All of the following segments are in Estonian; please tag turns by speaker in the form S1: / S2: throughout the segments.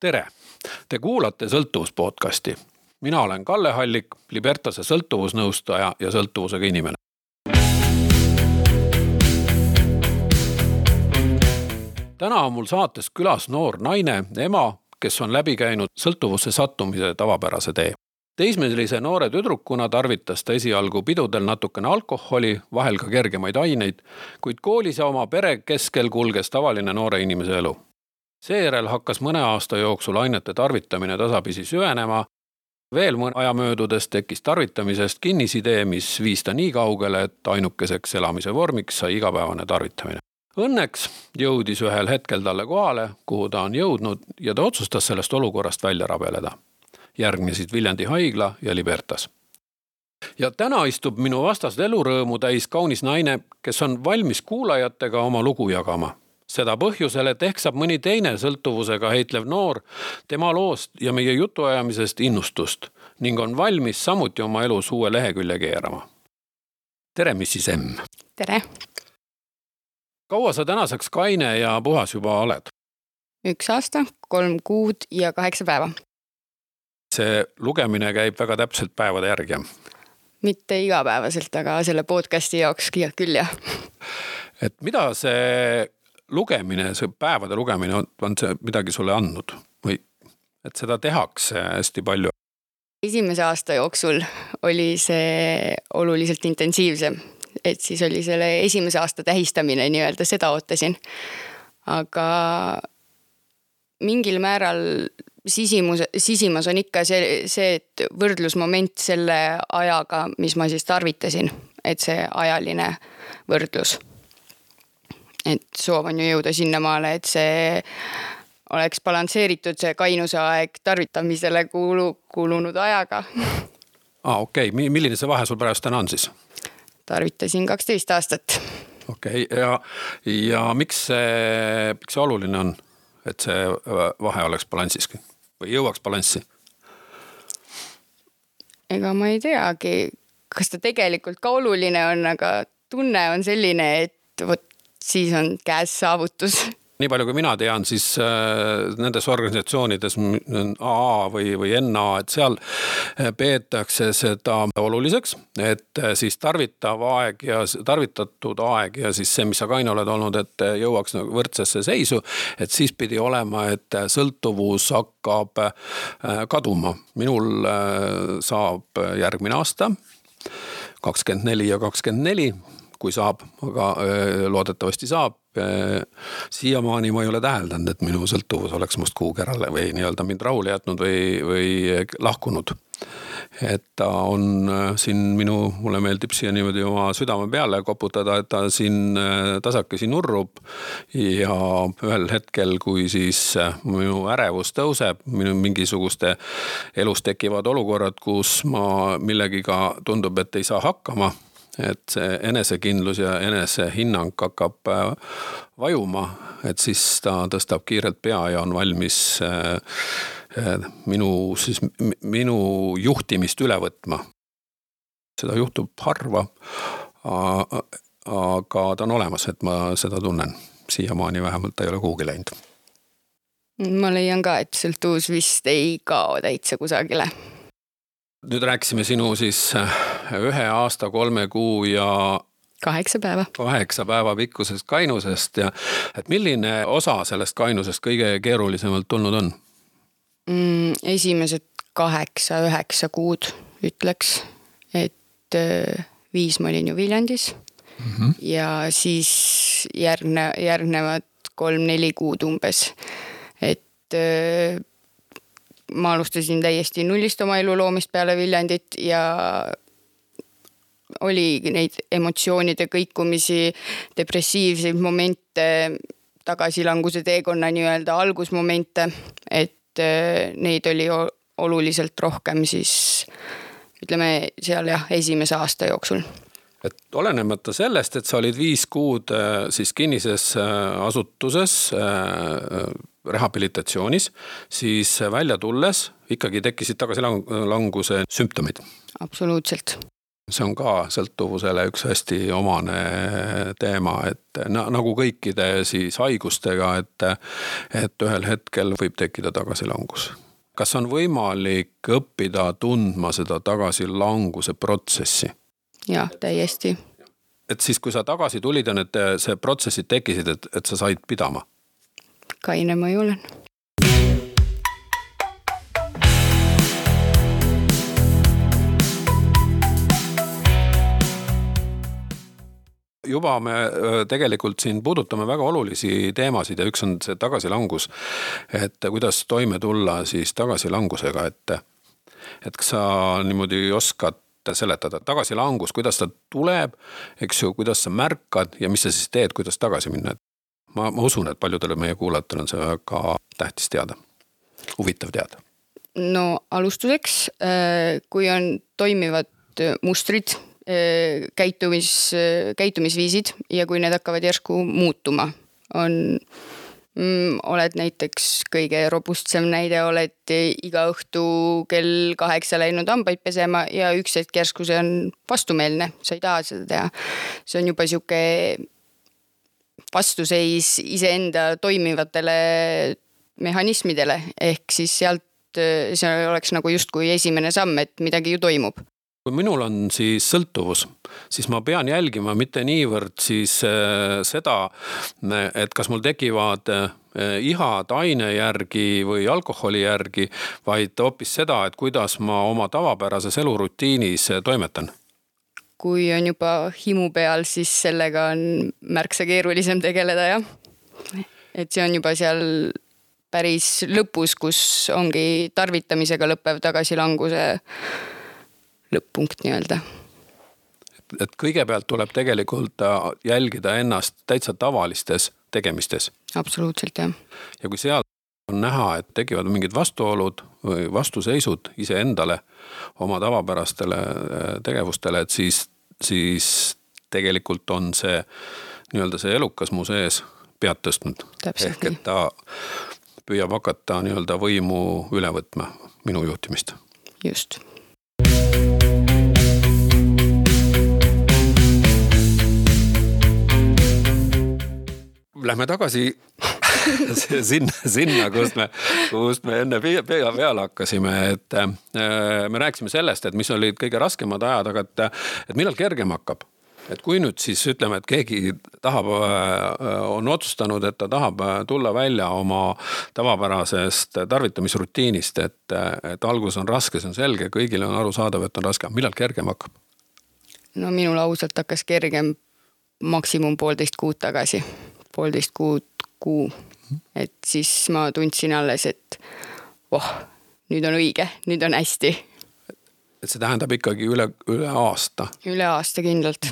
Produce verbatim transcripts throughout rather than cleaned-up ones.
S1: Tere! Te kuulate sõltuvuspodcasti. Mina olen Kalle Hallik, Libertase sõltuvusnõustaja ja sõltuvusega inimene. Täna on mul saates külas noor naine, ema, kes on läbi käinud sõltuvusse sattumise tavapärase tee. Teismelise noore tüdrukuna tarvitas ta esialgu pidudel natukene alkoholi, vahel ka kergemaid aineid, kuid koolis ja oma pere keskel kulges tavaline noore inimese elu. Seejärel hakkas mõne aasta jooksul ainete tarvitamine tasapisi süvenema. Veel mõne aja möödudes tekkis tarvitamisest kinnisidee, mis viis ta nii kaugele, et ainukeseks elamise vormiks sai igapäevane tarvitamine. Õnneks jõudis ühel hetkel talle kohale, kuhu ta on jõudnud, ja ta otsustas sellest olukorrast välja rabeleda. Järgnesid Viljandi haigla ja Libertas. Ja täna istub minu vastas elurõõmu täis kaunis naine, kes on valmis kuulajatega oma lugu jagama. Seda põhjusel, et ehk saab mõni teine sõltuvusega heitlev noor tema loost ja meie jutuajamisest innustust ning on valmis samuti oma elus uue lehekülje keerama. Tere, missis M.
S2: Tere!
S1: Kaua sa tänaseks kaine ja puhas juba oled?
S2: Üks aasta, kolm kuud ja kaheksa päeva.
S1: See lugemine käib väga täpselt päevade järgi.
S2: Mitte igapäevaselt, aga selle podcasti jaoks küll jah.
S1: Et mida see lugemine, see päevade lugemine on, on see midagi sulle andnud või et seda tehakse hästi palju?
S2: Esimese aasta jooksul oli see oluliselt intensiivsem, et siis oli selle esimese aasta tähistamine nii-öelda, seda ootasin. Aga mingil määral sisimus, sisimas on ikka see, see, et võrdlusmoment selle ajaga, mis ma siis tarvitasin, et see ajaline võrdlus. Et soov on ju jõuda sinnamaale, et see oleks balansseeritud see kainuse aeg tarvitamisele kuulu, kuulunud ajaga.
S1: Ah, okei. Okay. Milline see vahe sul pärast täna on siis?
S2: Tarvitasin kaksteist aastat.
S1: Okei. Okay. Ja, ja miks see, miks see oluline on, et see vahe oleks balansiski või jõuaks balanssi?
S2: Ega ma ei teagi, kas ta tegelikult ka oluline on, aga tunne on selline, et võt siis on käes saavutus.
S1: Nii palju kui mina tean, siis äh, nendes organisatsioonides A A või, või N A, et seal peetakse seda oluliseks, et siis tarvitav aeg ja tarvitatud aeg ja siis see, mis sa kaine oled olnud, et jõuaks võrdsesse seisu, et siis pidi olema, et sõltuvus hakkab äh, kaduma. Minul äh, saab järgmine aasta kakskümmend neli ja kakskümmend neli, kui saab, aga loodetavasti saab. Siiamaani ma ei ole täheldanud, et minu sõltuvus oleks must kuukerale või nii-öelda mind rahule jätnud või, või lahkunud. Et ta on siin minu, mulle meeldib siia niimoodi oma südame peale koputada, et ta siin tasakesi nurrub ja ühel hetkel, kui siis minu ärevus tõuseb, minu mingisuguste elus tekivad olukorrad, kus ma millegiga tundub, et ei saa hakkama, et see enesekindlus ja enesehinnang hakkab vajuma, et siis ta tõstab kiirelt pea ja on valmis minu, siis minu juhtimist üle võtma. Seda juhtub harva, aga ta on olemas, et ma seda tunnen. Siiamaani vähemalt ta ei ole kuhugi läinud.
S2: Ma leian ka, et sõltuvus vist ei kao täitsa kusagile.
S1: Nüüd rääkisime sinu siis ühe aasta, kolme kuu ja
S2: kaheksa päeva.
S1: Kaheksa päeva pikkusest kainusest ja et milline osa sellest kainusest kõige keerulisemalt tulnud on?
S2: Mm, esimesed kaheksa, üheksa kuud ütleks, et viis ma olin ju Viljandis mm-hmm. ja siis järgne, järgnevad kolm-neli kuud umbes, et ma alustasin täiesti nullist oma elu loomist peale Viljandit ja oli neid emotsioonide kõikumisi, depressiivseid momente, tagasilanguse teekonna nii-öelda algusmomente, et neid oli oluliselt rohkem siis, ütleme seal jah, esimese aasta jooksul.
S1: Et olenemata sellest, et sa olid viis kuud siis kinnises asutuses rehabilitatsioonis, siis välja tulles ikkagi tekkisid tagasilanguse sümptomid.
S2: Absoluutselt.
S1: see on ka sõltuvusele üks hästi omane teema, et nagu kõikide siis haigustega, et, et ühel hetkel võib tekkida tagasilangus. Kas on võimalik õppida tundma seda tagasilanguse protsessi?
S2: Jah, täiesti.
S1: Et siis, kui sa tagasi tulid ja need see protsessid tekkisid, et, et sa said pidama?
S2: Kaine ma ei olen.
S1: Juba me tegelikult siin puudutame väga olulisi teemasid ja üks on see tagasilangus, et kuidas toime tulla siis tagasilangusega, et, et kas sa niimoodi oskad seletada tagasilangus, kuidas ta tuleb, eks ju, kuidas sa märkad ja mis sa siis teed, kuidas tagasi minna. Ma, ma usun, et paljudele meie kuulajatel on see väga tähtis teada, huvitav teada.
S2: No alustuseks, kui on toimivad mustrid, käitumis, käitumisviisid ja kui need hakkavad järsku muutuma, on, mm, oled näiteks kõige robustsem näide, oled iga õhtu kell kaheksa läinud hambaid pesema ja üks hetk järsku see on vastumeelne, sa ei taha seda teha. See on juba siuke vastuseis iseenda toimivatele mehhanismidele, ehk siis sealt see oleks nagu just kui esimene samm, et midagi ju toimub.
S1: Kui minul on siis sõltuvus, siis ma pean jälgima mitte niivõrd siis seda, et kas mul tekivad ihad aine järgi või alkoholi järgi, vaid hoopis seda, et kuidas ma oma tavapärases elurutiinis toimetan.
S2: Kui on juba himu peal, siis sellega on märksa keerulisem tegeleda, jah. Et see on juba seal päris lõpus, kus ongi tarvitamisega lõppev tagasilanguse lõpp-punkt nii-öelda.
S1: Et kõigepealt tuleb tegelikult jälgida ennast täitsa tavalistes tegemistes.
S2: Absoluutselt, jah.
S1: Ja kui seal on näha, et tekivad mingid vastuolud või vastuseisud ise endale, oma tavapärastele tegevustele, et siis, siis tegelikult on see, nii-öelda see elukas mu sees pead tõstnud.
S2: Täpselt
S1: ehk et ta püüab hakata nii-öelda võimu üle võtma minu juhtimist.
S2: Just.
S1: Lähme tagasi sinna, sinna kust, me, kust me enne pea peale hakkasime, et me rääkisime sellest, et mis olid kõige raskemad ajad, aga et, et millal kergem hakkab. Et kui nüüd siis ütleme, et keegi tahab, on otsustanud, et ta tahab tulla välja oma tavapärasest tarvitamisrutiinist, et, et algus on raske, see on selge, kõigile on aru saadav, et on raske. Millal kergem hakkab?
S2: No minul ausalt hakkas kergem maksimum poolteist kuud tagasi. Poolteist kuud kuu. Et siis ma tundsin alles, et oh, nüüd on õige, nüüd on hästi.
S1: Et see tähendab ikkagi üle, üle aasta?
S2: Üle aasta kindlalt.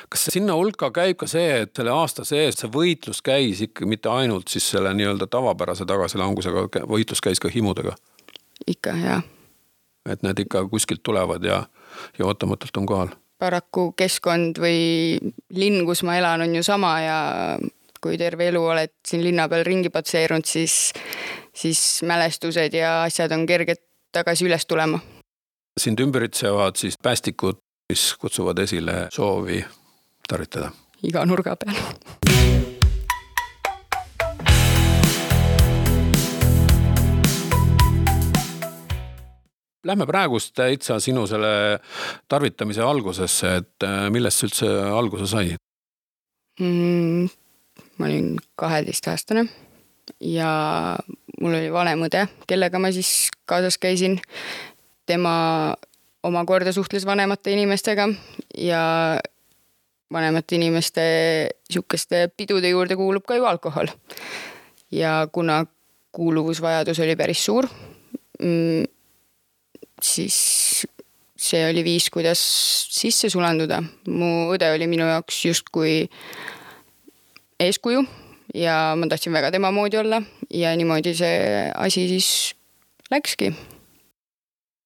S1: Kas sinna hulka käib ka see, et selle aasta sees see võitlus käis ikka mitte ainult siis selle nii-öelda tavapärase tagasilangusega, võitlus käis ka himudega?
S2: Ikka, jah.
S1: Et need ikka kuskilt tulevad ja, ja ootamatult on kohal?
S2: Paraku keskkond või linn, kus ma elan, on ju sama ja kui terve elu oled siin linna peal ringi patseerunud, siis, siis mälestused ja asjad on kerged tagasi üles tulema.
S1: Sind ümbritsevad siis päästikud, mis kutsuvad esile soovi tarvitada?
S2: Iga nurga peal.
S1: Lähme praegust täitsa sinu selle tarvitamise algusesse, et millest üldse alguse sai?
S2: Mm, ma olin kaheteistaastane ja mul oli vanem õde, kellega ma siis kaasas käisin. Tema omakorda suhtles vanemate inimestega ja vanemate inimeste siukeste pidude juurde kuulub ka ju alkohol. Ja kuna kuuluvusvajadus oli päris suur, mm, siis see oli viis, kuidas sisse sulanduda. Mu õde oli minu jaoks justkui eeskuju ja ma tahtsin väga tema moodi olla ja niimoodi see asi siis läkski.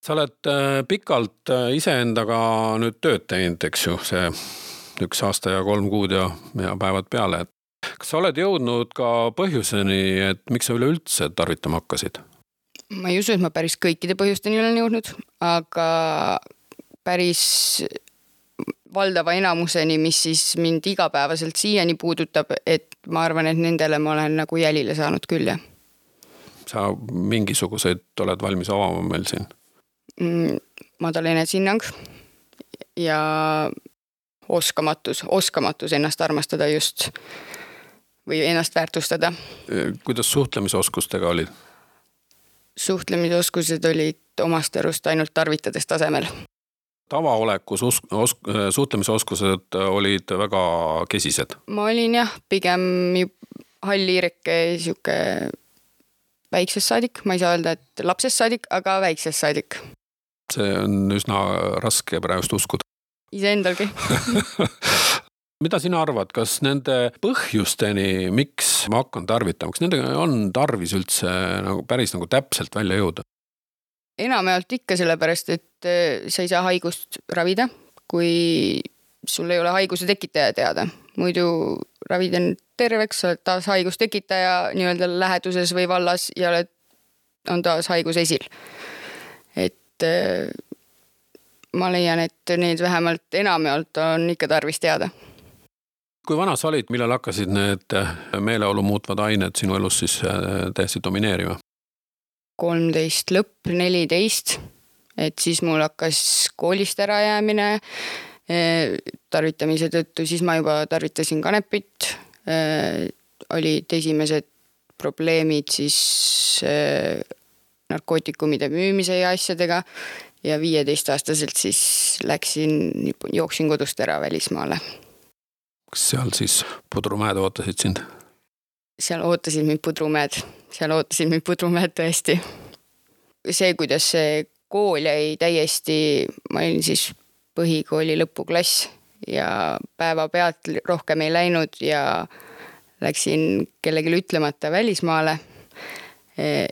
S1: Sa oled pikalt iseendaga nüüd tööd teinud, eks ju, see üks aasta ja kolm kuud ja, ja päevad peale. Kas sa oled jõudnud ka põhjuseni, et miks sa üleüldse tarvitama hakkasid?
S2: Ma ei usu, et ma päris kõikide põhjusteni olen jõudnud, aga päris valdava enamuseni, mis siis mind igapäevaselt siiani puudutab, et ma arvan, et nendele ma olen nagu jälile saanud küll, jah.
S1: Sa mingisuguseid oled valmis avama meil siin?
S2: Mm, madal enesehinnang ja oskamatus, oskamatus ennast armastada just või ennast väärtustada.
S1: Kuidas suhtlemisoskustega olid?
S2: Suhtlemisoskused olid omast arust ainult tarvitades tasemel.
S1: Tavaolekus osk- osk- suhtlemisoskused olid väga kesised?
S2: Ma olin jah, pigem halliireke siuke väiksest saadik, ma ei saa öelda, et lapsest saadik, aga väiksest saadik.
S1: See on üsna raske praegust uskuda.
S2: Ise endalgi.
S1: Mida sina arvad, kas nende põhjusteni, miks ma hakkan tarvitama, kas nendega on tarvis üldse nagu päris nagu täpselt välja jõuda?
S2: Enamjaolt ikka sellepärast, et sa ei saa haigust ravida, kui sul ei ole haiguse tekitaja teada. Muidu ravid on terveks, sa oled taas haigust tekitaja nii-öelda läheduses või vallas ja oled, on taas haigus esil. Et ma leian, et need vähemalt enamjaolt on ikka tarvis teada.
S1: Kui vana sa olid, millal hakkasid need meeleolu muutvad ained sinu elus siis täiesti domineerima?
S2: kolmteist lõpp, neliteist, et siis mul hakkas koolist ära jäämine tarvitamise tõttu, siis ma juba tarvitasin kanepit, olid esimesed probleemid siis narkootikumide müümise ja asjadega ja viieteist aastaselt siis läksin, jooksin kodust ära välismaale.
S1: Kas seal siis pudrumäed ootasid sind?
S2: Seal ootasid mind pudrumäed, seal ootasid mind pudrumäed tõesti. See, kuidas see kool jäi täiesti, ma olin siis põhikooli lõpuklass ja päeva pealt rohkem ei läinud ja läksin kellegile ütlemata välismaale,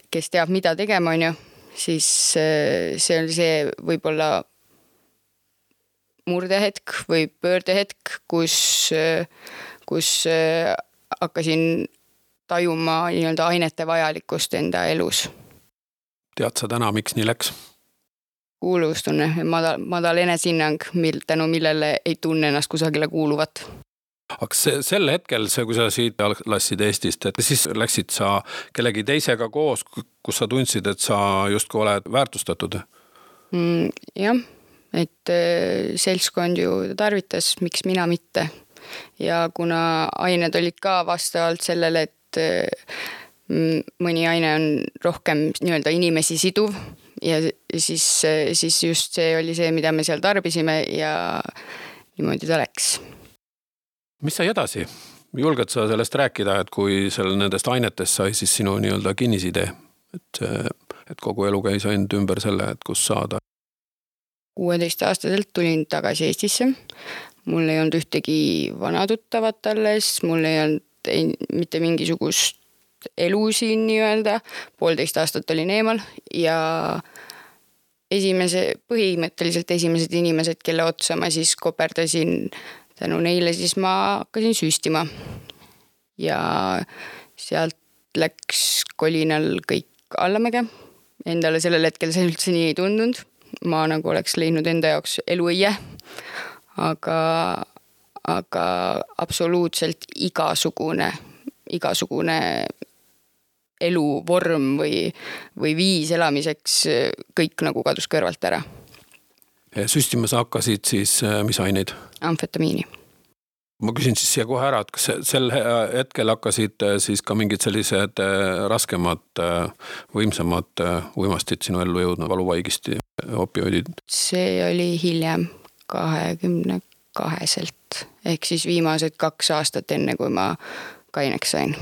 S2: kes teab, mida tegema on ju, siis see oli see võib-olla murdehetk või pöördehetk, kus, kus hakkasin tajuma nii-öelda ainete vajalikkust enda elus.
S1: Tead sa täna, miks nii läks?
S2: Kuuluvustunne, madal, madal enesehinnang, mil, tänu millele ei tunne ennast kusagile kuuluvat.
S1: Aga see, sel hetkel, see, kui sa siit lassid Eestist, et siis läksid sa kellegi teisega koos, kus sa tundsid, et sa justkui oled väärtustatud?
S2: Mm, jah, et seltskond ju tarvitas, miks mina mitte. Ja kuna ained olid ka vastavalt sellele, et mõni aine on rohkem nii-öelda inimesi siduv ja siis, siis just see oli see, mida me seal tarbisime ja niimoodi ta läks.
S1: Mis sai edasi? Julged sa sellest rääkida, et kui seal nendest ainetest sai siis sinu nii-öelda kinnisidee, et, et kogu elu käis ainult ümber selle, et kus saada?
S2: kuueteist aastaselt tulin tagasi Eestisse. Mul ei olnud ühtegi vanatuttavat alles, mul ei olnud ei, mitte mingisugust elu siin nii-öelda. Poolteist aastat olin eemal ja esimese, põhimõtteliselt esimesed inimesed, kelle otsa ma siis koperdasin tänu neile, siis ma hakkasin süstima. Ja sealt läks kolinal kõik allamäge. Endale sellel hetkel see üldse nii ei tundunud. Ma nagu oleks leidnud enda jaoks eluõie. Aga, aga absoluutselt igasugune, igasugune eluvorm või, või viis elamiseks kõik nagu kadus kõrvalt ära.
S1: Süstima sa hakkasid siis mis aineid?
S2: Amfetamiini.
S1: Ma küsin siis siia kohe ära, et kas sel hetkel hakkasid siis ka mingid sellised raskemad, võimsamad uimastid sinu ellu jõudnud, valuvaigisti, opioidid? See
S2: oli hiljem kahekümne kaheselt, ehk siis viimased kaks aastat enne, kui ma kaineks sain.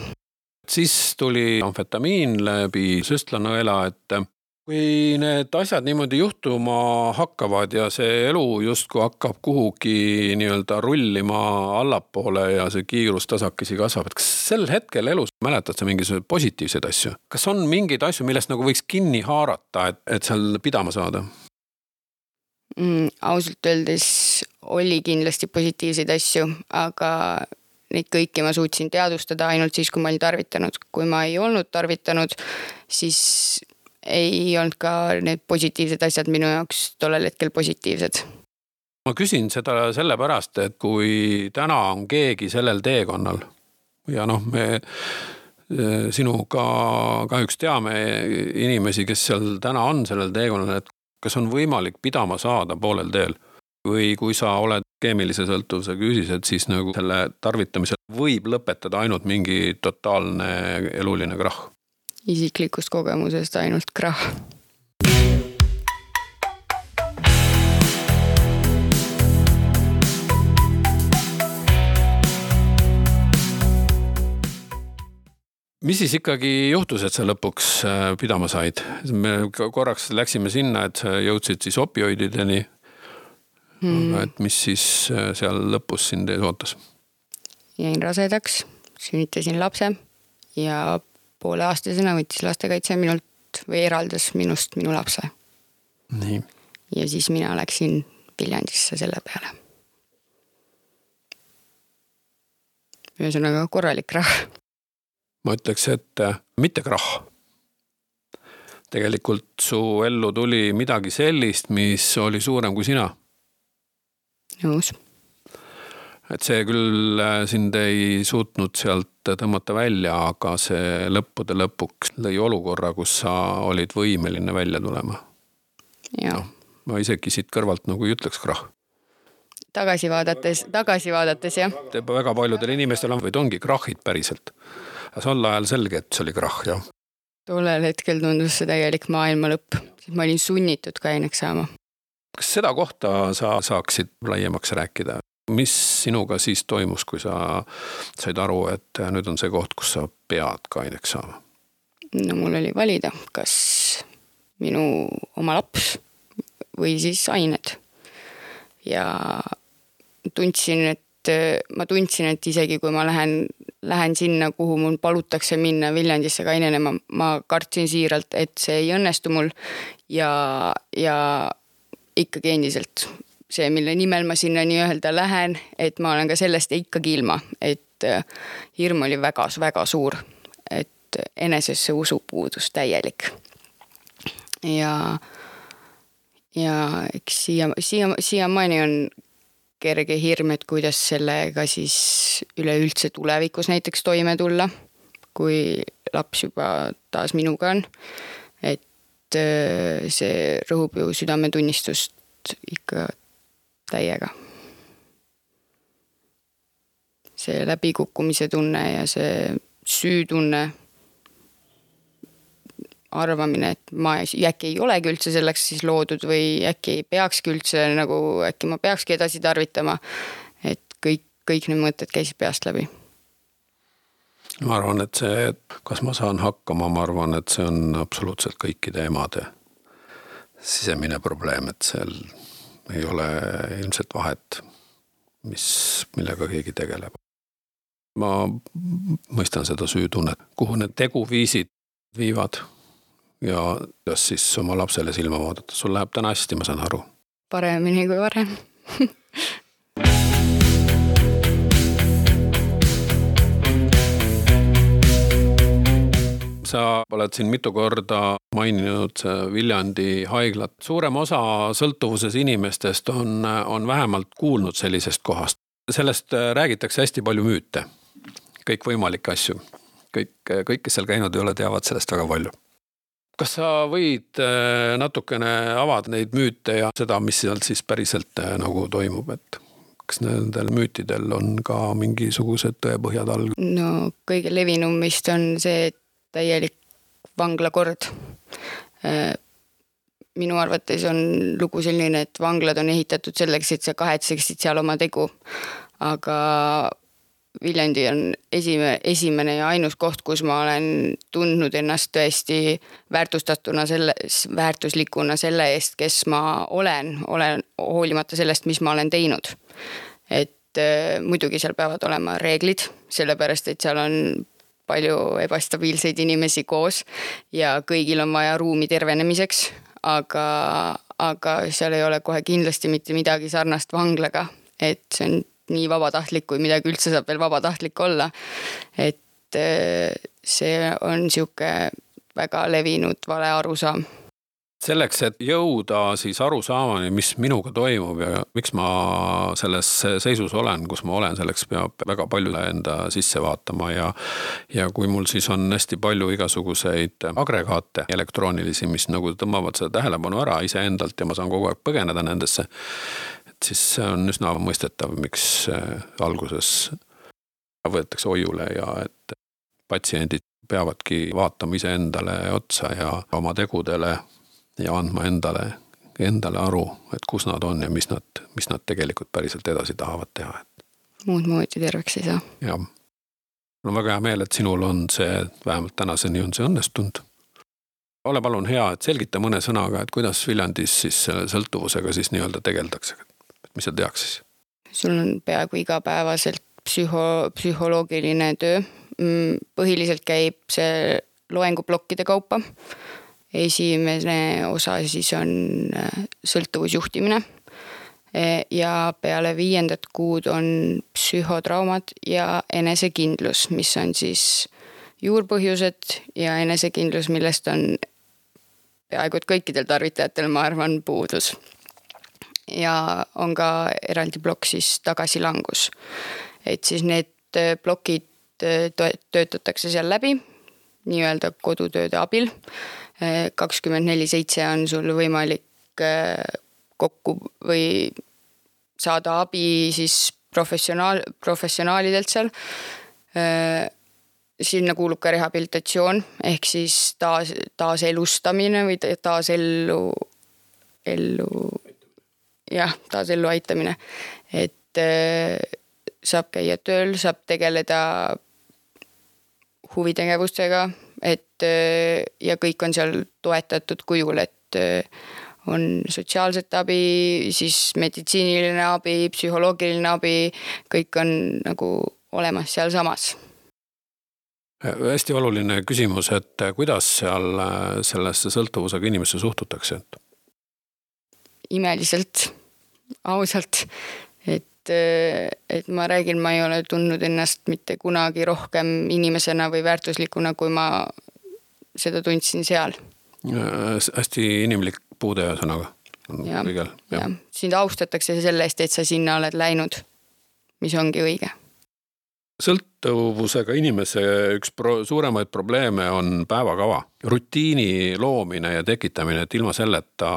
S1: Siis tuli amfetamiin läbi süstlanõela, et kui need asjad niimoodi juhtuma hakkavad ja see elu justkui hakkab kuhugi nii-öelda rullima allapoole ja see kiirus tasakesi kasvab, et kas sel hetkel elus mäletad sa mingisugused positiivsed asju? Kas on mingeid asju, millest nagu võiks kinni haarata, et, et seal pidama saada?
S2: Mm, ausalt öeldes oli kindlasti positiivseid asju, aga neid kõiki ma suutsin teadvustada ainult siis, kui ma olin tarvitanud. Kui ma ei olnud tarvitanud, siis ei olnud ka need positiivsed asjad minu jaoks tollel hetkel positiivsed.
S1: ma küsin seda sellepärast, et kui täna on keegi sellel teekonnal ja noh, me sinuga kahjuks teame inimesi, kes seal täna on sellel teekonnal, et kas on võimalik pidama saada poolel teel või kui sa oled keemilise sõltuvuse küsised, siis nagu selle tarvitamisel võib lõpetada ainult mingi totaalne eluline krahh.
S2: Isiklikust kogemusest ainult krahh.
S1: Mis siis ikkagi juhtus, et sa lõpuks pidama said? Me korraks läksime sinna, et sa jõudsid siis opioidideni. Hmm. Aga et mis siis seal lõpus sind ees ootas?
S2: Jäin rasedaks, sünnitasin lapse ja poole aastasena võttis lastekaitse minult või eraldas minust minu lapse.
S1: Nii.
S2: Ja siis mina läksin Viljandisse selle peale. Ühesõnaga korralik krahh.
S1: Ma ütleks, et mitte krahh. Tegelikult su ellu tuli midagi sellist, mis oli suurem kui sina.
S2: Nõus.
S1: Et see küll sind ei suutnud sealt tõmmata välja, aga see lõppude lõpuks lõi olukorra, kus sa olid võimeline välja tulema.
S2: Ja.
S1: No, ma isegi siit kõrvalt nagu ei ütleks krahh.
S2: Tagasi vaadates, tagasi vaadates, jah.
S1: Väga paljudel inimestel on, või ongi krahhid päriselt. Aga see on ajal selge, et see oli krahh, jah.
S2: Tollel hetkel tundus see täielik maailma lõpp. Ma olin sunnitud kaineks saama.
S1: Kas seda kohta sa saaksid laiemaks rääkida? Mis sinuga siis toimus, kui sa said aru, et nüüd on see koht, kus sa pead kaineks saama?
S2: No mul oli valida, kas minu oma laps või siis ained. Ja tundsin, et ma tundsin, et isegi kui ma lähen, lähen sinna, kuhu mul palutakse minna Viljandisse kainenema, ma kartsin siiralt, et see ei õnnestu mul ja, ja ikkagi endiselt see, mille nimel ma sinna nii öelda lähen, et ma olen ka sellest ikkagi ilma, et hirm oli väga, väga suur, et enesesse usu puudus täielik. Ja, ja eks siia, siia, siiamaani on kerge hirm, et kuidas sellega siis üleüldse tulevikus näiteks toime tulla, kui laps juba taas minuga on. Et see rõhub ju südametunnistust ikka täiega. See läbikukkumise tunne ja see süütunne, arvamine, et ma äkki ei olegi üldse selleks siis loodud või äkki ei peakski üldse, nagu äkki ma peakski edasi tarvitama, et kõik, kõik need mõtted käisid peast läbi.
S1: Ma arvan, et see, kas ma saan hakkama, ma arvan, et see on absoluutselt kõikide emade sisemine probleem, et seal ei ole ilmselt vahet, mis, millega keegi tegeleb. Ma mõistan seda süütunnet, kuhu need teguviisid viivad ja kuidas siis oma lapsele silma vaadata. Sul läheb täna hästi, ma saan aru.
S2: Paremini kui varem.
S1: Sa oled siin mitu korda maininud Viljandi haiglat. Suurem osa sõltuvuses inimestest on, on vähemalt kuulnud sellisest kohast. Sellest räägitakse hästi palju müüte. Kõik võimalikke asju. Kõik, kõik, kes seal käinud ei ole, teavad sellest väga palju. Kas sa võid natukene avada neid müüte ja seda, mis seal siis päriselt nagu toimub, et kas nendel müütidel on ka mingisugused tõepõhjad all?
S2: No kõige levinum vist on see täielik vanglakord. Minu arvates on lugu selline, et vanglad on ehitatud selleks, et sa kahetseksid seal oma tegu, aga Viljandi on esime, esimene ja ainus koht, kus ma olen tundnud ennast tõesti väärtustatuna selle, väärtuslikuna selle eest, kes ma olen, olen hoolimata sellest, mis ma olen teinud. Et äh, muidugi seal peavad olema reeglid, sellepärast, et seal on palju ebastabiilseid inimesi koos ja kõigil on vaja ruumi tervenemiseks, aga, aga seal ei ole kohe kindlasti mitte midagi sarnast vanglaga, et see on nii vabatahtlik, kui midagi üldse saab veel vabatahtlik olla. Et see on siuke väga levinud vale arusaam.
S1: selleks, et jõuda siis aru saamani, mis minuga toimub ja miks ma selles seisus olen, kus ma olen, selleks peab väga palju enda sisse vaatama ja ja kui mul siis on hästi palju igasuguseid agregaate elektroonilisi, mis nagu tõmbavad seda tähelepanu ära iseendalt ja ma saan kogu aeg põgeneda nendesse, et siis see on üsna mõistetav, miks alguses võetakse hoiule ja et patsiendid peavadki vaatama iseendale otsa ja oma tegudele ja andma endale, endale aru, et kus nad on ja mis nad, mis nad tegelikult päriselt edasi tahavad teha.
S2: Muud moodi terveks ei saa.
S1: Ja. Mul on väga hea meel, et sinul on see, vähemalt tänaseni on see õnnestunud. Ole palun hea, et selgita mõne sõnaga, et kuidas Viljandis siis selle sõltuvusega siis nii-öelda tegeldakse. Mis seal tehakse siis?
S2: Sul on peaaegu igapäevaselt psühho, psühholoogiline töö. Põhiliselt käib see loengublokkide kaupa. Esimene osa siis on sõltuvusjuhtimine ja peale viiendat kuud on psühhotraumad ja enesekindlus, mis on siis juurpõhjused ja enesekindlus, millest on peaaegu et kõikidel tarvitajatel, ma arvan, puudus. Ja on ka eraldi plokk siis tagasilangus. Et siis need plokid töötatakse seal läbi, nii-öelda kodutööde abil. kakskümmend neli seitse on sul võimalik kokku või saada abi siis professionaal, professionaalidelt seal. Sinna kuulub ka rehabilitatsioon ehk siis taas, taas elustamine või taas ellu, ellu, jah, taas ellu aitamine. Et saab käia tööl, saab tegeleda huvitegevustega, et ja kõik on seal toetatud kujul, et on sotsiaalset abi, siis meditsiiniline abi, psühholoogiline abi, kõik on nagu olemas seal samas.
S1: Hästi oluline küsimus, et kuidas seal sellesse sõltuvusega inimesse suhtutakse?
S2: Imeliselt, ausalt, et et ma räägin, ma ei ole tundnud ennast mitte kunagi rohkem inimesena või väärtuslikuna, kui ma seda tundsin seal.
S1: Hästi inimlik puude sõnaga.
S2: Ja, kõigel, ja. Sind austatakse selle eest, et sa sinna oled läinud, mis ongi õige.
S1: Sõltuvusega inimese üks pro- suuremaid probleeme on päevakava. Rutiini loomine ja tekitamine, et ilma selleta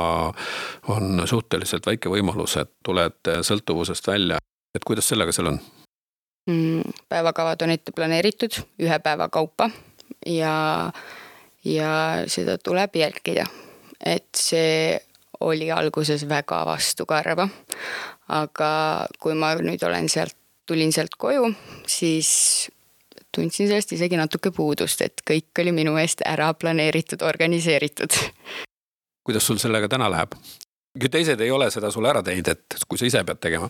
S1: on suhteliselt väike võimalus, et tuled sõltuvusest välja. Et kuidas sellega seal on?
S2: Päevakavad on ette planeeritud ühe päeva kaupa ja, ja seda tuleb jälgida. Et see oli alguses väga vastukarva, aga kui ma nüüd olen sealt tulin sealt koju, siis tundsin sellest isegi natuke puudust, et kõik oli minu eest ära planeeritud, organiseeritud.
S1: Kuidas sul sellega täna läheb? Kui teised ei ole seda sul ära teinud, et kui sa ise pead tegema?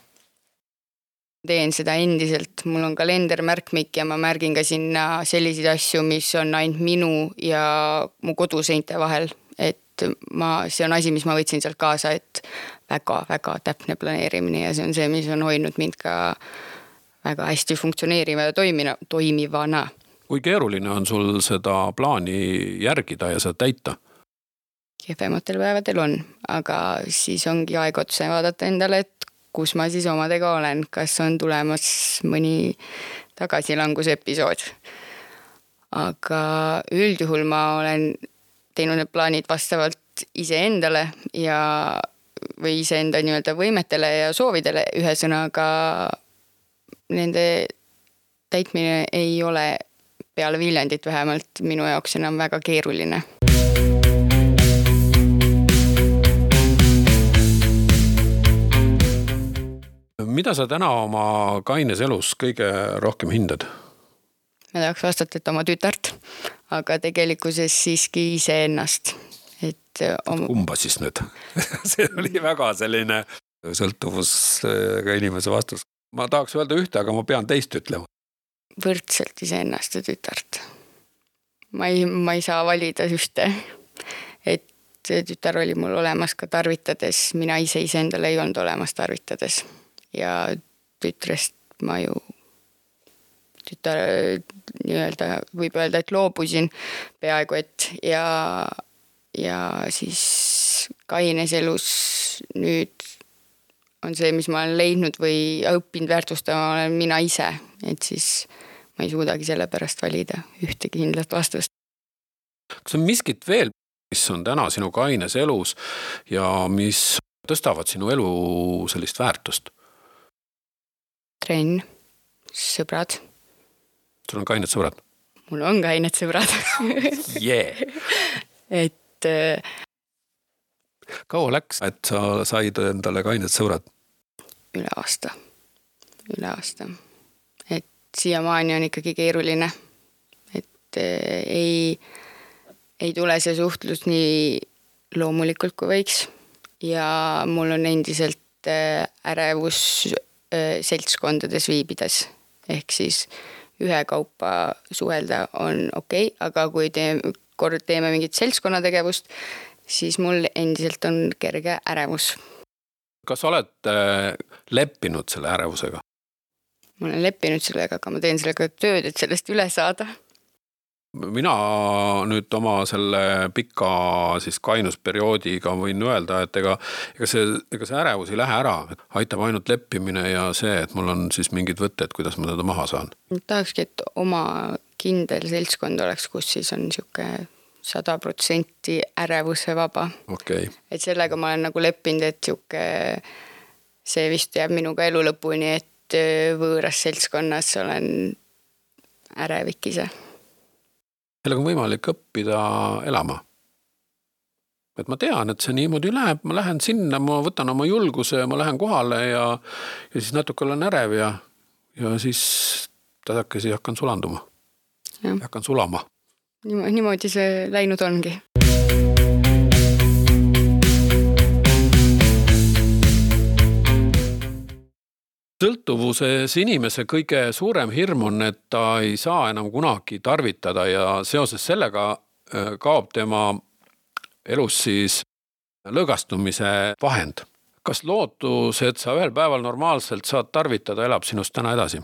S2: Teen seda endiselt. Mul on kalender märkmik ja ma märgin ka sinna selliseid asju, mis on ainult minu ja mu koduseinte vahel. Et ma, see on asi, mis ma võtsin sealt kaasa, et väga-väga täpne planeerimine ja see on see, mis on hoidnud mind ka väga hästi funktsioneeriva ja toimina, toimivana.
S1: Kui keeruline on sul seda plaani järgida ja seda täita?
S2: Kehvematel päevadel on, aga siis ongi aeg otsa vaadata endale, et kus ma siis omadega olen, kas on tulemas mõni tagasilangusepisood. Aga üldjuhul ma olen teinud need plaanid vastavalt iseendale ja või iseenda nii-öelda võimetele ja soovidele ühesõnaga nende täitmine ei ole peale Viljandit vähemalt minu jaoks enam väga keeruline.
S1: Mida sa täna oma kaines elus kõige rohkem hindad?
S2: Ma tahaks vastata, et oma tütart, aga tegelikkuses siiski ise ennast. Et oma...
S1: Kumba siis nüüd? See oli väga selline sõltuvusega inimese vastus. Ma tahaks öelda ühte, aga ma pean teist ütlema.
S2: Võrdselt iseennast ja tütart. Ma ei, ma ei saa valida ühte. Et tütar oli mul olemas ka tarvitades. Mina ise iseendale ei olnud olemas tarvitades. Ja tütrest ma ju tütar nii-öelda, võib öelda, et loobusin peaaegu, et ja, ja siis kaines elus nüüd on see, mis ma olen leidnud või õppinud väärtustama, olen mina ise, et siis ma ei suudagi selle pärast valida ühtegi kindlat vastust.
S1: Kas on miskit veel, mis on täna sinu kaines elus ja mis tõstavad sinu elu sellist väärtust?
S2: Trenn, sõbrad.
S1: Sul on kained sõbrad?
S2: Mul on kained sõbrad.
S1: Yeah.
S2: Et
S1: kaua läks, et sa said endale kained sõbrad?
S2: Üle aasta. Üle aasta. Et siiamaani on ikkagi keeruline. Et ei, ei tule see suhtlus nii loomulikult kui võiks. Ja mul on endiselt ärevus seltskondades viibides. Ehk siis ühe kaupa suhelda on okei, okay, aga kui teeme, kord teeme mingit seltskonnategevust, siis mul endiselt on kerge ärevus.
S1: Kas oled leppinud selle ärevusega?
S2: Ma olen leppinud sellega, aga ma teen sellega tööd, et sellest üle saada.
S1: Mina nüüd oma selle pika siis kainusperioodiga võin öelda, et ega, ega, see, ega see ärevus ei lähe ära. Aitab ainult leppimine ja see, et mul on siis mingid võtted, kuidas ma teda maha saan.
S2: Tahakski, et oma kindel seltskond oleks, kus siis on siuke sada protsenti ärevuse vaba.
S1: Okay.
S2: Et sellega ma olen nagu leppinud, et siuke, see vist jääb minuga elu lõpuni, et võõras seltskonnas olen ärevik ise.
S1: Sellega on võimalik õppida elama. Et ma tean, et see niimoodi läheb, ma lähen sinna, ma võtan oma julguse, ma lähen kohale ja, ja siis natuke olen ärev ja, ja siis tasakesi hakkan sulanduma. Ja. Hakkan sulama.
S2: Niimoodi see läinud ongi.
S1: Sõltuvuses inimese kõige suurem hirm on, et ta ei saa enam kunagi tarvitada ja seoses sellega kaob tema elus siis lõõgastumise vahend. Kas lootus, et sa ühel päeval normaalselt saad tarvitada, elab sinust täna edasi?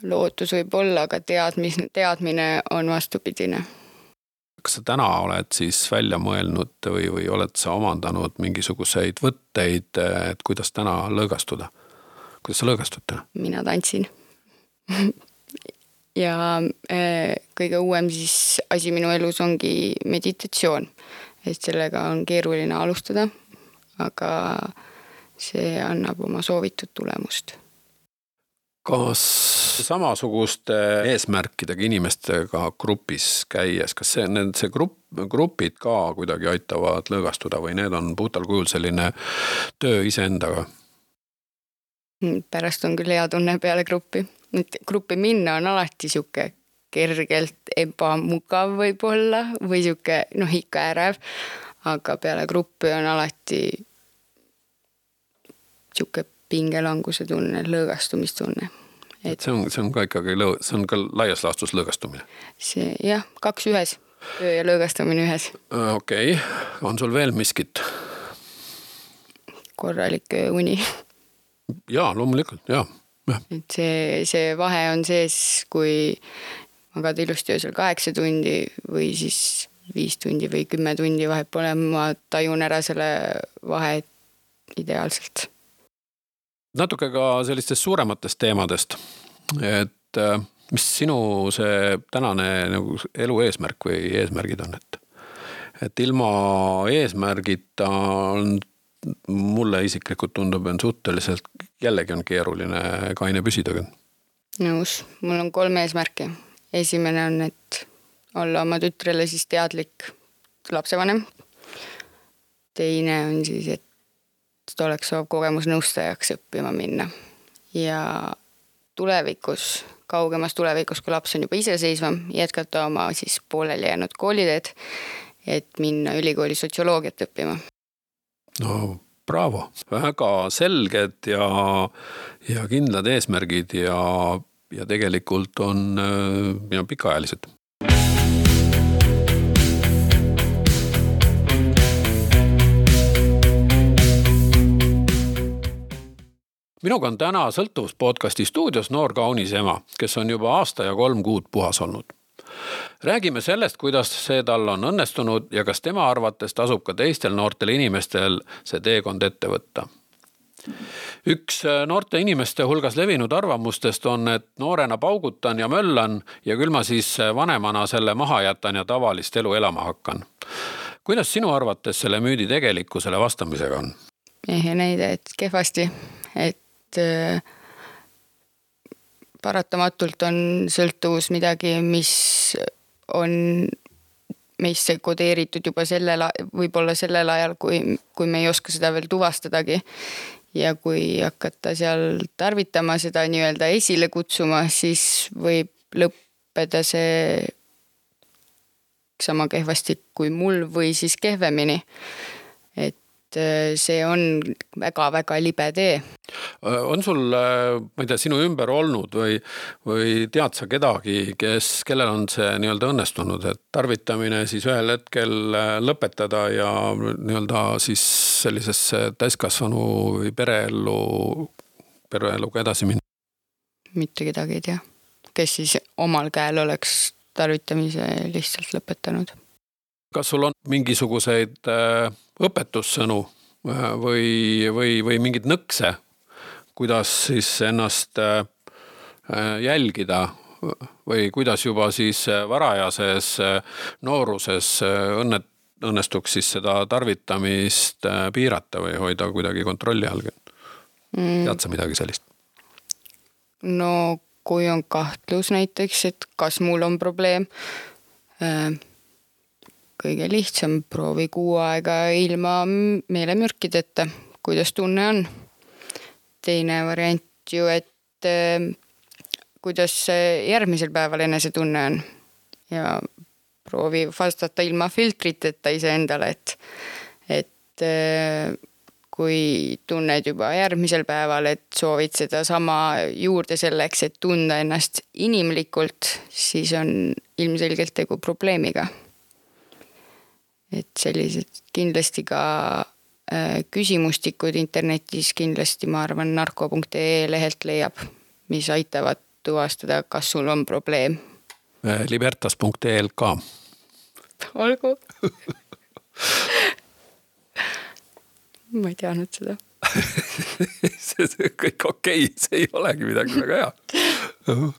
S2: Lootus võib olla, aga teadmis, teadmine on vastupidine.
S1: Kas sa täna oled siis välja mõelnud või, või oled sa omandanud mingisuguseid võtteid, et kuidas täna lõõgastuda? Kuidas sa lõõgastud täna?
S2: Mina tantsin. ja äh, kõige uuem siis asi minu elus ongi meditatsioon. Et sellega on keeruline alustada, aga see annab oma soovitud tulemust.
S1: Kas samasuguste eesmärkidega inimestega grupis käies, kas see, need, see grupp, grupid ka kuidagi aitavad lõõgastuda või need on puhtal kujul selline töö iseendaga?
S2: Pärast on küll hea tunne peale gruppi. Gruppi minna on alati siuke kergelt ebamugav võib-olla või siuke, noh ikka ärev, aga peale gruppi on alati siuke pingelanguse tunne, lõõgastumistunne.
S1: Et see, on, see on ka ikkagi, see on ka laias laastus lõõgastumine?
S2: See, jah, kaks ühes, töö ja lõõgastumine ühes.
S1: Okei, okay. On sul veel miskit?
S2: Korralik uni.
S1: Jaa, loomulikult, jaa. Ja.
S2: Et see, see vahe on sees, kui magad ilusti öösel kaheksa tundi või siis viis tundi või kümme tundi vahet pole, ma tajun ära selle vahe ideaalselt.
S1: Natuke ka sellistest suurematest teemadest, et mis sinu see tänane nagu elu eesmärk või eesmärgid on, et, et ilma eesmärgita on mulle isiklikult tundub, on suhteliselt jällegi on keeruline kaine püsida.
S2: Nõus, mul on kolm eesmärki. Esimene on, et olla oma tütrele siis teadlik lapsevanem. Teine on siis, et ta oleks soov kogemusnõustajaks õppima minna. Ja tulevikus, kaugemas tulevikus, kui laps on juba iseseisvam, jätkata oma siis pooleli jäänud kooliteed, et minna ülikooli sotsioloogiat õppima.
S1: No bravo, väga selged ja, ja kindlad eesmärgid ja, ja tegelikult on ja pikaajalised. Minuga on täna Sõltuvus podcasti stuudios noor kaunis ema, kes on juba aasta ja kolm kuud puhas olnud. Räägime sellest, kuidas see tal on õnnestunud ja kas tema arvates tasub ka teistel noortel inimestel see teekond ette võtta. Üks noorte inimeste hulgas levinud arvamustest on, et noorena paugutan ja möllan ja küll ma siis vanemana selle maha jätan ja tavalist elu elama hakkan. Kuidas sinu arvates selle müüdi tegelikkusele vastamisega on?
S2: Ehe näide, et kehvasti, et äh, paratamatult on sõltuvus midagi, mis on meisse kodeeritud juba sellel, võib-olla sellel ajal, kui, kui me ei oska seda veel tuvastadagi. Ja kui hakata seal tarvitama seda nii-öelda esile kutsuma, siis võib lõppeda see sama kehvasti kui mul või siis kehvemini. Et see on väga-väga libe tee.
S1: On sul, ma ei tea, sinu ümber olnud või, või tead sa kedagi, kes, kellel on see nii-öelda õnnestunud, et tarvitamine siis ühel hetkel lõpetada ja nii-öelda siis sellisesse täiskasvanu või pereellu, pereeluga edasi minna?
S2: Mitte kedagi ei tea, kes siis omal käel oleks tarvitamise lihtsalt lõpetanud.
S1: Kas sul on mingisuguseid õpetussõnu või, või, või mingid nõkse, kuidas siis ennast jälgida või kuidas juba siis varajases nooruses õnnet, õnnestuks siis seda tarvitamist piirata või hoida kuidagi kontrolli all? Mm. Tead sa midagi sellist?
S2: No kui on kahtlus näiteks, et kas mul on probleem, kõige lihtsam proovi kuu aega ilma meelemürkideta, kuidas tunne on. Teine variant ju, et kuidas järgmisel päeval enese tunne on ja proovi vastata ilma filtriteta ise endale, et, et kui tunned juba järgmisel päeval, et soovid seda sama juurde selleks, et tunda ennast inimlikult, siis on ilmselgelt tegu probleemiga. Et sellised kindlasti ka äh, küsimustikud internetis kindlasti ma arvan narko punkt ee lehelt leiab, mis aitavad tuvastada, kas sul on probleem.
S1: libertas punkt ee ka.
S2: Olgu. Ma ei teadnud seda.
S1: see, see kõik okei, see ei olegi midagi väga hea.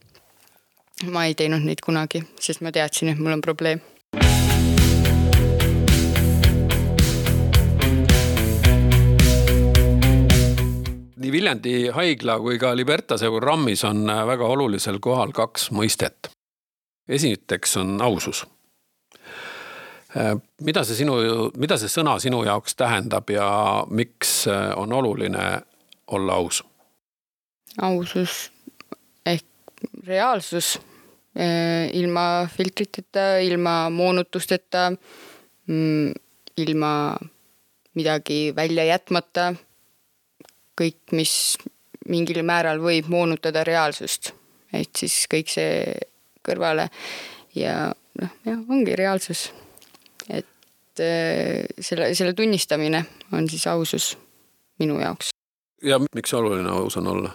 S2: Ma ei teinud neid kunagi, sest ma teadsin, et mul on probleem.
S1: Nii Viljandi haigla kui ka Libertase programmis on väga olulisel kohal kaks mõistet. Esiteks on ausus. Mida see, sinu, mida see sõna sinu jaoks tähendab ja miks on oluline olla aus?
S2: Ausus ehk reaalsus ilma filtriteta, ilma moonutusteta, ilma midagi välja jätmata, kõik, mis mingil määral võib moonutada reaalsust. Et siis kõik see kõrvale ja noh, jah, ongi reaalsus. Et selle, selle tunnistamine on siis ausus minu jaoks.
S1: Ja miks oluline aus on olla?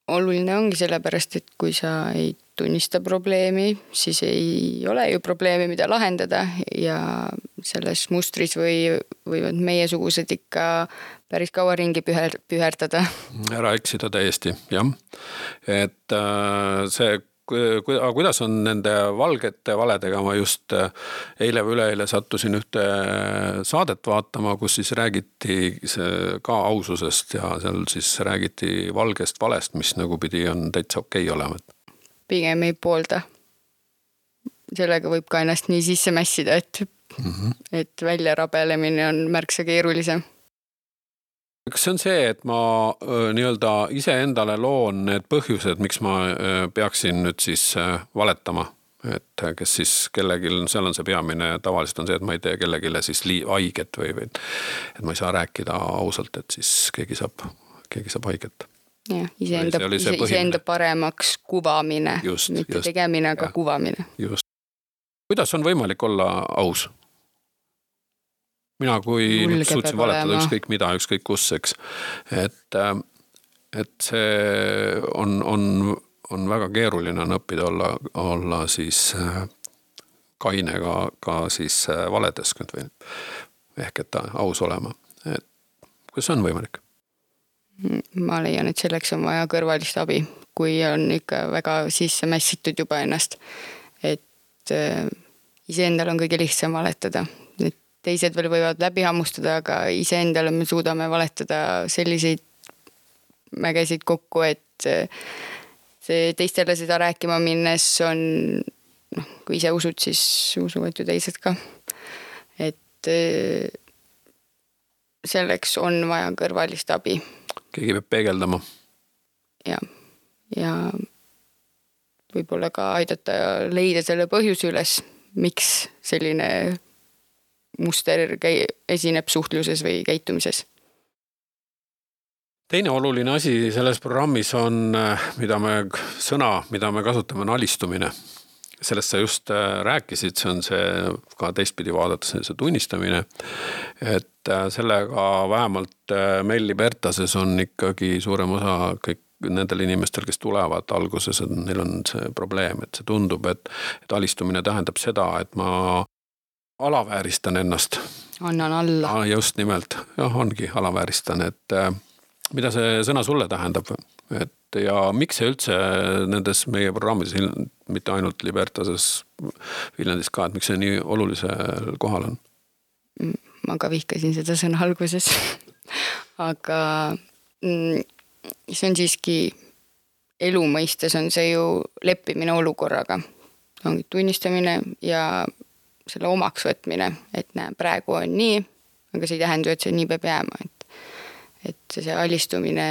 S2: Oluline ongi sellepärast, et kui sa ei tunnista probleemi, siis ei ole ju probleemi, mida lahendada ja selles mustris või, võivad meiesugused ikka päris kaua ringi püher, püherdada.
S1: Ära eksida täiesti, jah. Et see aga kuidas on nende valgete valedega, ma just eile või üleeile sattusin ühte saadet vaatama, kus siis räägiti ka aususest ja seal siis räägiti valgest valest, mis nagu pidi on täitsa okei olema.
S2: Pigem ei poolda. Sellega võib ka ennast nii sisse mässida, et, mm-hmm. et välja rabelemine on märksa keerulisem.
S1: Kas see on see, et ma nii-öelda ise endale loon need põhjused, miks ma peaksin nüüd siis valetama, et kes siis kellegil, seal on see peamine, tavaliselt on see, et ma ei tee kellegile siis haiget või, või et ma ei saa rääkida ausalt, et siis keegi saab, keegi saab haiget.
S2: Ja, iseenda, ise, iseenda paremaks kuvamine, just, mitte just, tegemine, aga ja, kuvamine.
S1: Just. Kuidas on võimalik olla aus? Mina kui nüüd suutsin valetada ükskõik mida, ükskõik kus, eks. Et, et see on, on, on väga keeruline on õppida olla, olla siis kaine ka, ka siis valedes või ehk et aus olema. Et kas on võimalik?
S2: Ma leian, et selleks on vaja kõrvalist abi, kui on ikka väga sisse mässitud juba ennast. Et iseendal on kõige lihtsam valetada. Et teised veel võivad läbi hammustada, aga iseendale me suudame valetada selliseid mägesid kokku, et see teistele seda rääkima minnes on, noh, kui ise usud, siis usuvad ju teised ka. Et selleks on vaja kõrvalist abi.
S1: Keegi peab peegeldama.
S2: Ja, ja võib-olla ka aidata leida selle põhjuse üles, miks selline muster esineb suhtluses või käitumises.
S1: Teine oluline asi selles programmis on, mida me, sõna, mida me kasutame, on alistumine. Sellest sa just rääkisid, see on see ka teistpidi vaadates see tunnistamine, et sellega vähemalt meil Libertases on ikkagi suurem osa kõik nendel inimestel, kes tulevad alguses, et neil on see probleem, et see tundub, et, et alistumine tähendab seda, et ma alavääristan ennast.
S2: Annan alla.
S1: Just nimelt, jah, ongi alavääristan, et mida see sõna sulle tähendab, et ja miks see üldse nendes meie programmides, mitte ainult Libertases, Viljandis ka, et miks see nii olulisel kohal on?
S2: Ma ka vihkasin seda sõna alguses, aga see on siiski elu mõistes on see ju leppimine olukorraga. Ongi tunnistamine ja selle omaks võtmine, et näe, praegu on nii, aga see ei tähenda, et see nii peab jääma, et, et see alistumine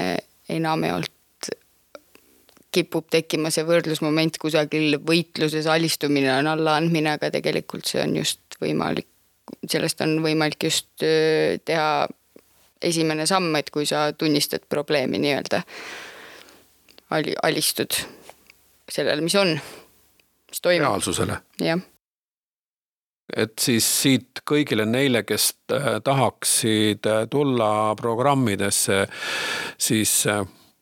S2: enam ei olnud kipub tekkima see võrdlusmoment kusagil võitluses, alistumine on allaandmine, aga tegelikult see on just võimalik, sellest on võimalik just teha esimene samm, et kui sa tunnistad probleemi nii-öelda, alistud sellele, mis on, mis toimub.
S1: Reaalsusele.
S2: Jah.
S1: Et siis siit kõigile neile, kes tahaksid tulla programmidesse, siis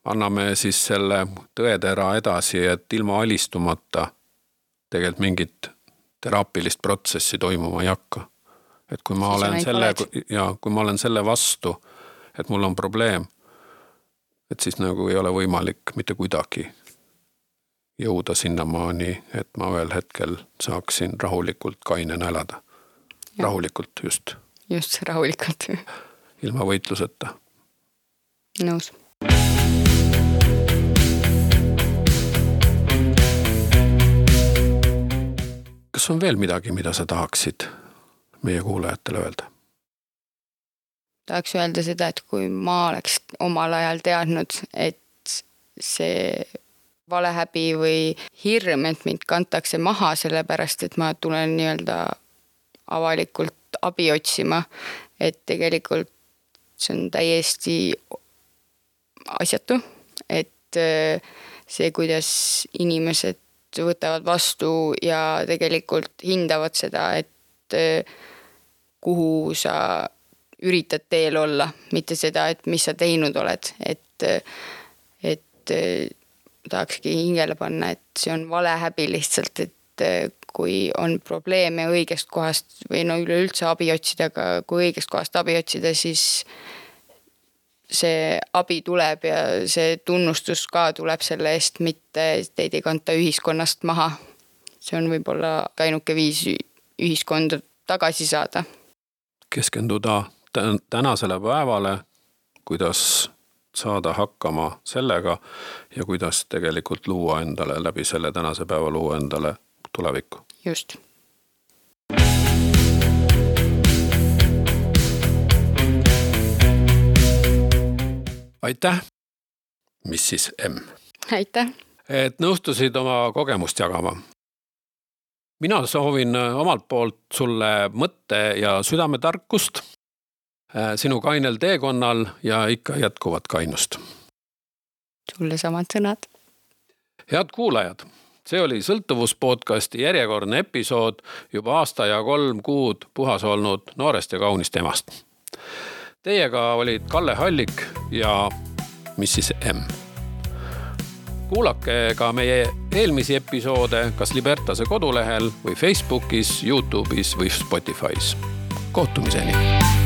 S1: anname siis selle tõetera edasi, et ilma alistumata tegelikult mingit teraapilist protsessi toimuma ei hakka. Et kui ma, olen selle, ja, kui ma olen selle vastu, et mul on probleem, et siis nagu ei ole võimalik mitte kuidagi jõuda sinnamaani, et ma ühel hetkel saaksin rahulikult kainena elada. Ja. Rahulikult just.
S2: Just rahulikult.
S1: Ilma võitluseta.
S2: Nõus.
S1: Kas on veel midagi, mida sa tahaksid meie kuulajatele öelda?
S2: Tahaks öelda seda, et kui ma oleks omal ajal teadnud, et see valehäbi või hirm, et mind kantakse maha sellepärast, et ma tulen nii-öelda avalikult abi otsima, et tegelikult see on täiesti asjatu, et see, kuidas inimesed võtavad vastu ja tegelikult hindavad seda, et kuhu sa üritad teel olla, mitte seda, et mis sa teinud oled, et, et tahakski hingele panna, et see on valehäbi lihtsalt, et kui on probleeme õigest kohast või no üleüldse abi otsida, aga kui õigest kohast abi otsida, siis see abi tuleb ja see tunnustus ka tuleb selle eest, mitte teid ei kanta ühiskonnast maha. See on võib-olla ainuke viis ühiskonda tagasi saada.
S1: Keskenduda tänasele päevale, kuidas saada hakkama sellega ja kuidas tegelikult luua endale läbi selle tänase päeva luua endale tulevikku.
S2: Just.
S1: Aitäh, missis M.
S2: Aitäh.
S1: Et nõustusid oma kogemust jagama. Mina soovin omalt poolt sulle mõtte ja südametarkust sinu kainel teekonnal ja ikka jätkuvat kainust.
S2: Sulle samad sõnad.
S1: Head kuulajad, see oli Sõltuvuspodcasti järjekordne episood juba aasta ja kolm kuud puhas olnud noorest ja kaunist emast. Teiega olid Kalle Hallik ja missis M. Kuulake ka meie eelmisi episoode kas Libertase kodulehel või Facebookis, YouTube'is või Spotify's. Kohtumiseni!